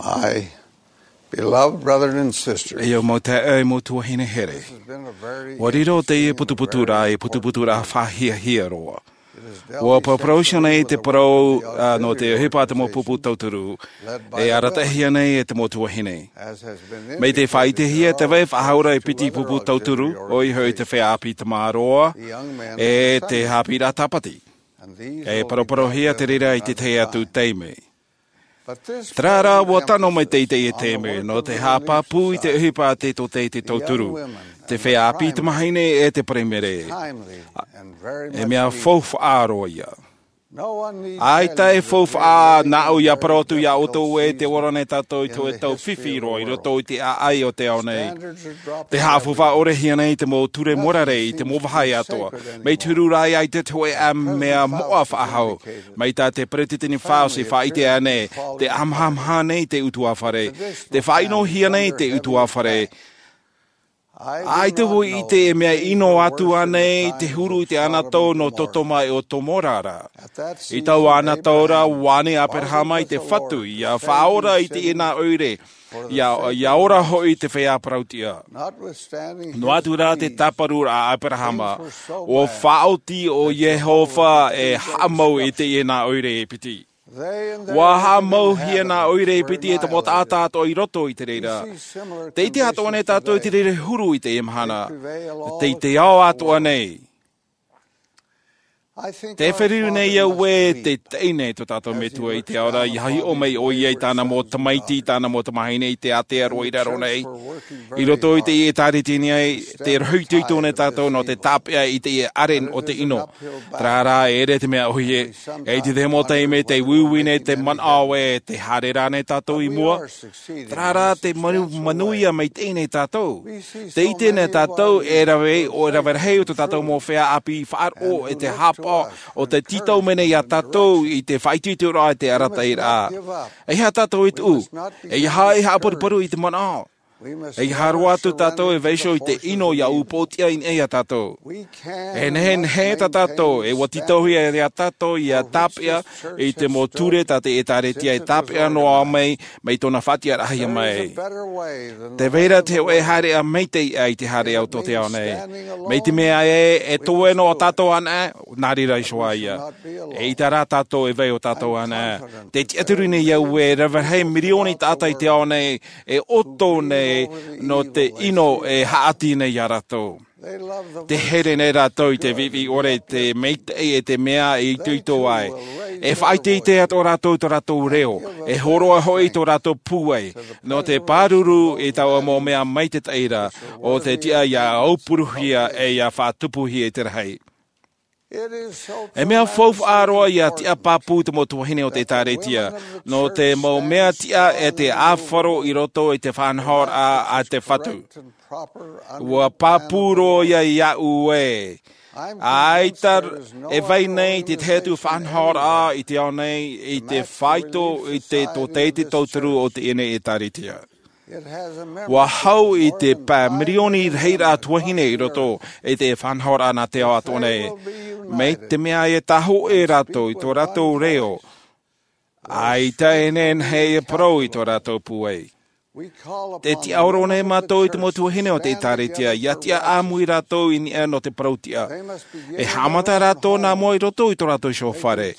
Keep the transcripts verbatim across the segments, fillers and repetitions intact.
I, beloved brethren and sisters, E au mau taeaʻe, e mau tuahine here. This has been a very Ua riro teie putuputuraʻa, e putuputuraʻa faʻahiahia roa. It is Ua dealt with parau nei te parau, a, nō te ʻohipa te mau pupu tauturu. E arataʻihia nei e te mau tuahine. As has been Mai te indicated, faʻaʻitehia te vai faʻahou ra e piti pupu tauturu, ʻoia hoʻi te feiā ʻāpī tamaroa, e te haʻapiʻiraʻa tāpati. E paraparauhia te reira i te tahi atu taime. Terā rā, ua tano mai teie taime, nō te haʻapāpū i te ʻohipa a te tōtaiete tauturu, te feiā ʻāpī tamahine e te Paraimere. E mea faufaʻa roa ia. ʻAita e faufaʻa, nā ʻu ia parau atu iā ʻoutou ē, tē ora nei tātou i te hōʻē tau fifi roa i roto i te ʻāʻai o te ao nei. Te haʻafaufaʻa ʻore hia nei te mau ture mōrare i te mau vāhi atoʻa. Mai te huru ra ʻaita te hōʻē mea moʻa faʻahou. Mai tā te peresideni Faust i faʻaʻite ānei, te ʻāmahamaha nei te ʻutuāfare. Te faʻaʻinohia nei te ʻutuāfare. ʻAita vau i ʻite e mea ʻino atu ānei te huru i te anatau nō Sodoma e Gomora ra. I taua anatau ra, ʻua ani Aperahama i te Fatu, ʻia faʻaora i teie nā ʻoire, ʻia, ʻia ora hoʻi te feiā parautiʻa. Noa atu rā te tāparuraʻa a Aperahama, ʻua faʻaoti ʻo Iehova e haʻamau i teie nā ʻoire e piti. ʻUa haʻamauhia nā ʻoire e piti e te mau taʻata atoʻa i roto i te reira. Tē ʻite atoʻa nei tātou i te reira huru i teie mahana. Tei te ao atoʻa nei. Tē feruri nei au ē, tē taʻi nei tō tātou Metua i te ao ra, ʻia hiʻo mai ʻoia i tāna mau tamaiti, tāna mau tamahine i te ātea roa i raro nei. I roto i te ʻĒtārētia nei, tē rohi itoito nei tātou nō te tāpeʻa i te ʻāreʻa o te ʻino. Terā rā, e ʻere te mea ʻōhie, e i te tahi mau taime tē uiui nei te manaʻo ē, tē haere ra nei tātou i mua. Terā rā, tē manu-, manuia maitaʻi nei tātou. Tē ʻite nei tātou e rave, ʻo e rave rahi o tō tātou mau feiā ʻāpī faʻaroʻo e te haʻapaʻo, ʻo tē tītau mai nei iā tātou i te faʻaitoitoraʻa, i te arataʻiraʻa. ʻEiaha tātou e tuʻu, ʻeiaha e haʻaparuparu i te manaʻo. ʻEiaha roa atu tātou e vaiiho i te ʻino ʻia upoʻotiʻa i niʻa iā tātou. E nehenehe tā tātou, e ʻua tītauhia iā tātou ʻia tāpeʻa i te mau ture tā te ʻĒtārētia e tāpeʻa noa mai, mai tōna faʻatiʻaraʻahia mai. Tē vai ra te hōʻē haereʻa maitaʻi aʻe i te haereʻa o tō te ao nei. Mai te mea ē, e toe noa tātou anaʻe, nā reira iho ā ia. ʻEita rā tātou e vai ʻo tātou anaʻe. Tē tiʻaturi nei au ē, rave rahi mirioni taʻata i te ao nei, e ʻoto nei nō te ʻino e haʻati nei iā rātou. Tē here nei rātou i te viʻiviʻi ʻore, te maitaʻi e te mea e itoito ai. E faʻaʻiteʻite atoʻa rātou i tō rātou reo. E hōroʻa hoʻi i tō rātou pūai. Nō te pāruru i taua mau mea maitaʻi ra, ʻo te tiʻa ʻia aupuruhia e ʻia faʻatupuhia i te rahi. E mea faufaʻa roa ʻia tiʻa pāpū te mau tuahine o te ʻĒtārētia, nō te mau mea tiʻa e te ʻāfaro i roto i te faʻanahoraʻa a te Fatu. ʻUa pāpū roa ia iāʻu ē. ʻAita e vai nei te tahi atu faʻanahoraʻa i te ao nei i te faito i te tōtaiete tauturu o teie nei ʻĒtārētia. ʻUa hau i te pae mirioni rahiraʻa tuahine i roto i te faʻanahoraʻa nā te ao atoʻa nei. Mai te mea e tāhōʻē rātou i tō rātou reo, ʻaita e nehenehe e parau i tō rātou pūai. Tē tiʻaoro nei mātou i te mau tuahine o te ʻĒtārētia, ʻia tiʻa ʻāmui rātou i niʻa nō te parautiʻa. E haʻamata rātou nā mua i roto i tō rātou iho fare.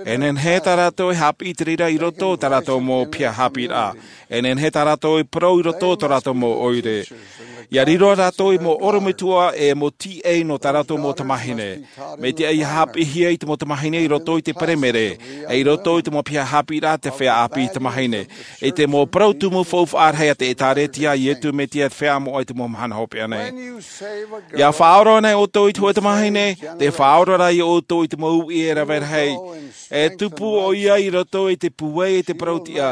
E nehenehe tā rātou e haʻapiʻi i te reira i roto i tā rātou mau piha haʻapiʻiraʻa. E nehenehe tā rātou e parau i roto i tō rātou mau ʻoire. ʻIa riro rātou ei mau ʻorometua e mau tīaʻi nō tā rātou mau tamāhine. Mai te ʻāʻai ʻia haʻapiʻihia i te mau tamāhine i roto i te Paraimere, e i roto i te mau piha haʻapiʻiraʻa a te feiā ʻāpī tamāhine. I te mau parau tumu faufaʻa rahi a te ʻĒtārētia a Iesu Mesia, te Feiā Moʻa i te mau mahana hopeʻa nei. ʻIa faʻaora nei ʻoutou i te hōʻē tamāhine, tē faʻaora ra ia ʻoutou i te mau uʻi e rave rahi. E tupu ʻoia i roto i te pūai e te parautiʻa.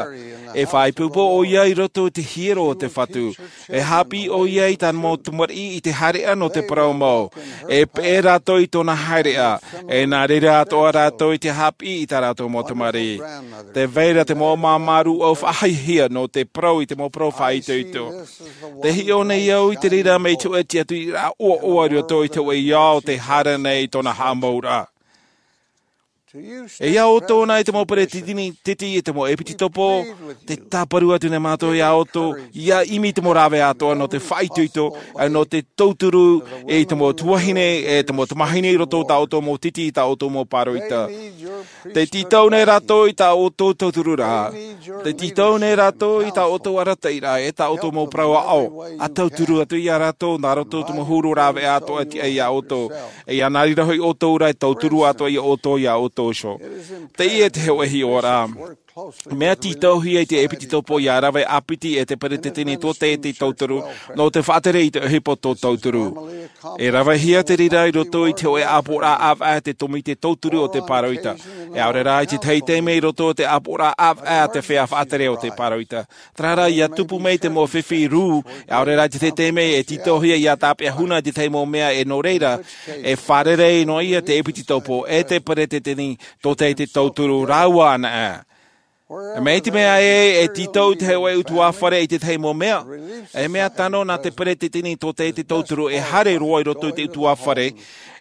E faʻaipoipo ʻoia i roto i te hiero o te Fatu. E haʻapiʻi ʻoia i tāna mau tamariʻi i te haereʻa nō te parau mau. E peʻe rātou i tōna haereʻa. E nā reira atoʻa rātou i te haʻapiʻi i tā rātou mau tamariʻi. Tē vai ra te mau māmā rūʻau faʻahiahia nō te parau i te mau parau faʻaitoito. Tē hiʻo nei au i te reira mai te hōʻē tiʻaturiraʻa ʻoaʻoa i roto i te hōʻē ao tē haere nei i tōna haʻamauraʻa. E ia ʻoutou nā i te mau peresideni, titi, e te mau ʻēpīsikopo, te tāparu atu nei mātou ia ʻoutou, ia ʻimi te mau rāveʻa atoʻa nō te faʻaitoito, ʻe nō te tauturu, e i te mau tuahine, e te mau tamahine i roto tā ʻoutou mau titi, tā ʻoutou mau pāroita. Te tītau nei rātou i tā ʻoutou tauturu ra. Te tītau nei rātou i tā ʻoutou arataʻi ra, e tā ʻoutou mau parau aʻo. ʻA tauturu atu ia rātou, nā roto te mau huru rāveʻa atoʻa e tiʻa ia ʻoutou. E ia nā reira hoʻi ʻoutou ra e tauturu atoʻa ia ʻoutou, ia ʻoutou iho. Teie te hōʻē hiʻoraʻa. Mea tītauhia i te ʻēpīsikopo ia rave ʻāpiti e te peresideni tō te, te tauturu, nō te faʻatere i te ʻohipa tō tauturu. E ravehia te reira i roto i te hōʻē ʻāpoʻoraʻa ʻāvaʻe te tōmite tauturu o te pāroita. E ʻaore rā i te tahi taime i roto i te ʻāpoʻoraʻa ʻāvaʻe te feiā faʻatere o te pāroita. Terā rā, ia tupu mai te mau fifi rū, e ʻaore rā i te tahi taime e tītauhia ia tāpeʻa huna i te tahi mau mea, e nō reira, e fārerei noa ia te ʻēpīsikopo, e te peresideni tō te, te tauturu rāua anaʻe. Mai te mea ē, e tītau te hōʻē ʻutuāfare i te tahi mau mea. E mea tano nā te peresideni tō te, te tauturu e haere roa i roto i te ʻutuāfare,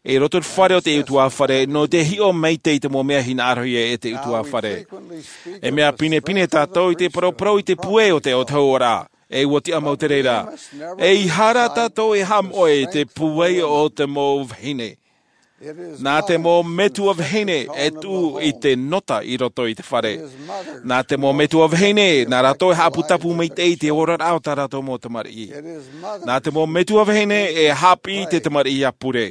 i roto i te fare o te ʻutuāfare, nō te hiʻo maitaʻi i te mau mea hinaʻarohia e te ʻutuāfare. E mea pinepine tātou i te paraparau i te pūai o te autahuʻaraʻa. E ʻua tiʻa mau te reira. ʻEiaha tātou e haʻamoʻe i te pūai o te mau vahine. Nā te mau metua vahine e tuʻu i te nota i roto i te fare. Nā te mau metua vahine, nā rātou e haʻaputapu maitaʻi i te oraraʻa o tā rātou mau tamariʻi. Nā te mau metua vahine e haʻapiʻi i te tamariʻi ʻāpure.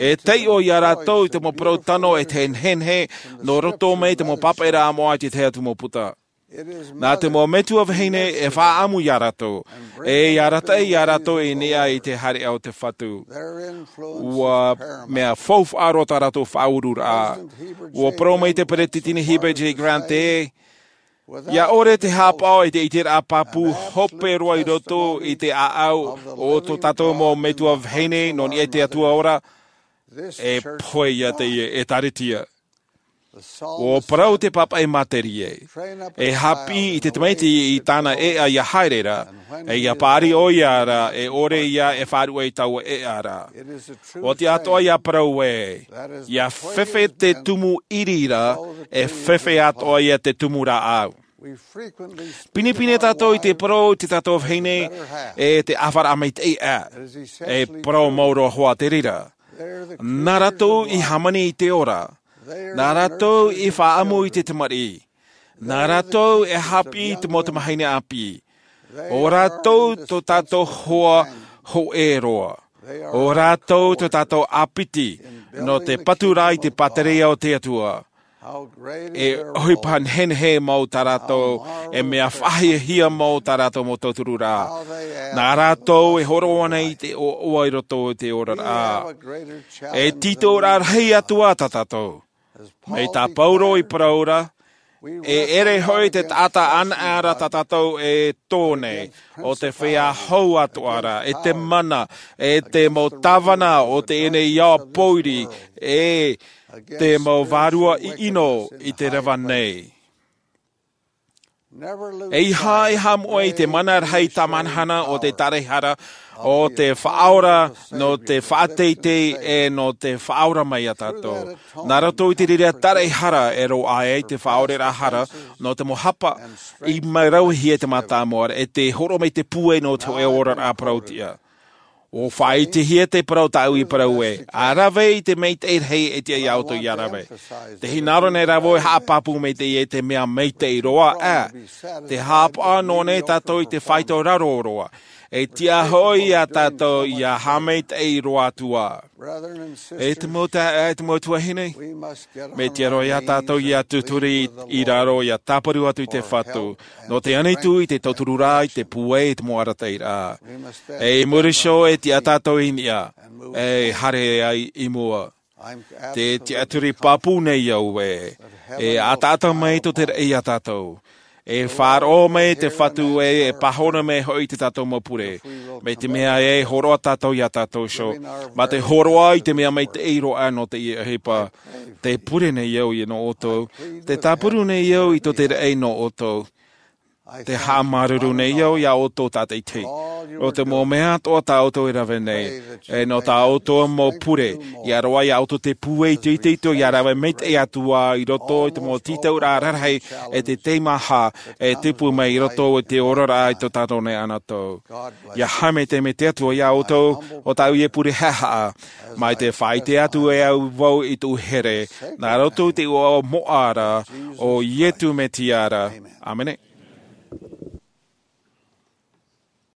E taiʻo ia rātou i te mau parau tano e te nehenehe, nō roto mai te mau pāpaʻiraʻa moʻa i te tahi atu mau puta. Nā te mau metua vahine e faʻaʻamu ia rātou, e ia arataʻi ia rātou i niʻa i te haereʻa o te Fatu. ʻUa mea faufaʻa roa tā rātou faʻaururaʻa. ʻUa parau mai te peresideni Heber J. Grant ē, ia ʻore te haʻapaʻo i te ʻiteraʻa pāpū hope roa i roto i te ʻāʻau o tō tātou mau metua vahine nō niʻa i te Atua ora, e pohe ia teie ʻĒtārētia. ʻUa parau te pāpaʻi materie. E haʻapiʻi i te tamaiti i tāna ʻēʻa ia haere ra, e ia paʻari ʻoia ra, e ʻore ia e faʻaruʻe i taua ʻēʻa ra. ʻUa tiʻa atoʻa ia parau ē, ia fefe te tumu ʻiri ra, e fefe atoʻa ia te tumu rāʻau. Pinepine tātou i te parau i tō tātou vahine, e te ʻāfaraʻa maitaʻi ʻā. E parau mau roa hoʻi te reira. Nā rātou i hāmani i te ora. Nā rātou i faʻaʻamu i te tamariʻi. Nā rātou e haʻapiʻi i te mau tamahine ʻāpī. ʻO rātou tō tātou hoa hōʻē roa. ʻO rātou tō tātou ʻāpiti, nō te patu ra i te pātereia o te Atua. E ʻohipa nehenehe mau tā rātou, e mea faʻahiahia mau tā rātou mau tauturu ra. Nā rātou e hōroʻa nei i te ʻoaʻoa i roto i te oraraʻa. E tītau rahi atu ā tā tātou. Mai tā Pauro i parau ra, e ʻere hoʻi te taʻata anaʻe ra tā tātou e tō nei, ʻo te feiā hou atoʻa ra, e te mana, e te mau tāvana o teie nei ao pōiri, e te mau vārua ʻiʻino i te reva nei. ʻEiaha e haʻamoʻe i te mana rahi tāmahanahana o te taraehara, ʻo te faʻaora, nō te faʻateitei, e nō te faʻaora mai ia tātou. Nā roto i te reira taraehara e roaʻa ai te faʻaoreraʻa hara, nō te mau hapa, i rauhia te mātāmua, e te hōroʻa mai te pūai nō te hōʻē oraraʻa parau-tiʻa. ʻUa faʻaʻitehia te parau tāʻu i parau ē, ʻa rave i te maitaʻi rahi e tiʻa ia ʻoutou ia rave. Tē hinaʻaro nei rā vau e haʻapāpū mai teie te mea maitaʻi roa, ʻā, tē haʻapaʻo noa nei tātou i te faito raro roa. E tiʻa hoʻi ia tātou ia haʻamaitaʻi roa atu ā. E te mau taeaʻe, e te mau tuahine, mea tiʻa roa ia tātou ia tūturi i raro, ia tāparu atu i te Fatu, nō te ʻanitū i te tauturu ra, i te pūai, i te mau arataʻiraʻa. E i muri iho e tiʻa tātou i niʻa, e haere ai i mua. Tē tiʻaturi pāpū nei au ē, e ataata mai tō te raʻi ia tātou. E faʻaroʻo mai te Fatu ē, e pāhono mai hoʻi tō tātou mau pure. Mai te mea ē, e hōroʻa tātou ia tātou iho. Mā te hōroʻa i te mea maitaʻi roa nō teie ʻohipa. Tē pure nei au ia nō ʻoutou. Tē tāparu nei au i tō te raʻi nō ʻoutou. Te haʻamāuruuru nei au iā ʻoutou tātaʻitahi. ʻO te mau mea atoʻa tā ʻoutou e rave nei, e nō tā ʻoutou mau pure, ia roaʻa iā ʻoutou te pūai itoito ia rave maitaʻi atu ā i roto i te mau tītauraʻa rarahi, e te teimaha e tupu mai i roto i te oraraʻa i tō tātou nei anaʻe. Ia haʻamaitaʻi te atua iā ʻoutou, ʻo tāʻu ia pure haʻahaʻa, mai te faʻaʻite atu e au vau i tōʻu here, nā roto i te iʻoa moʻa ra o iesu mesia. ʻĀmene.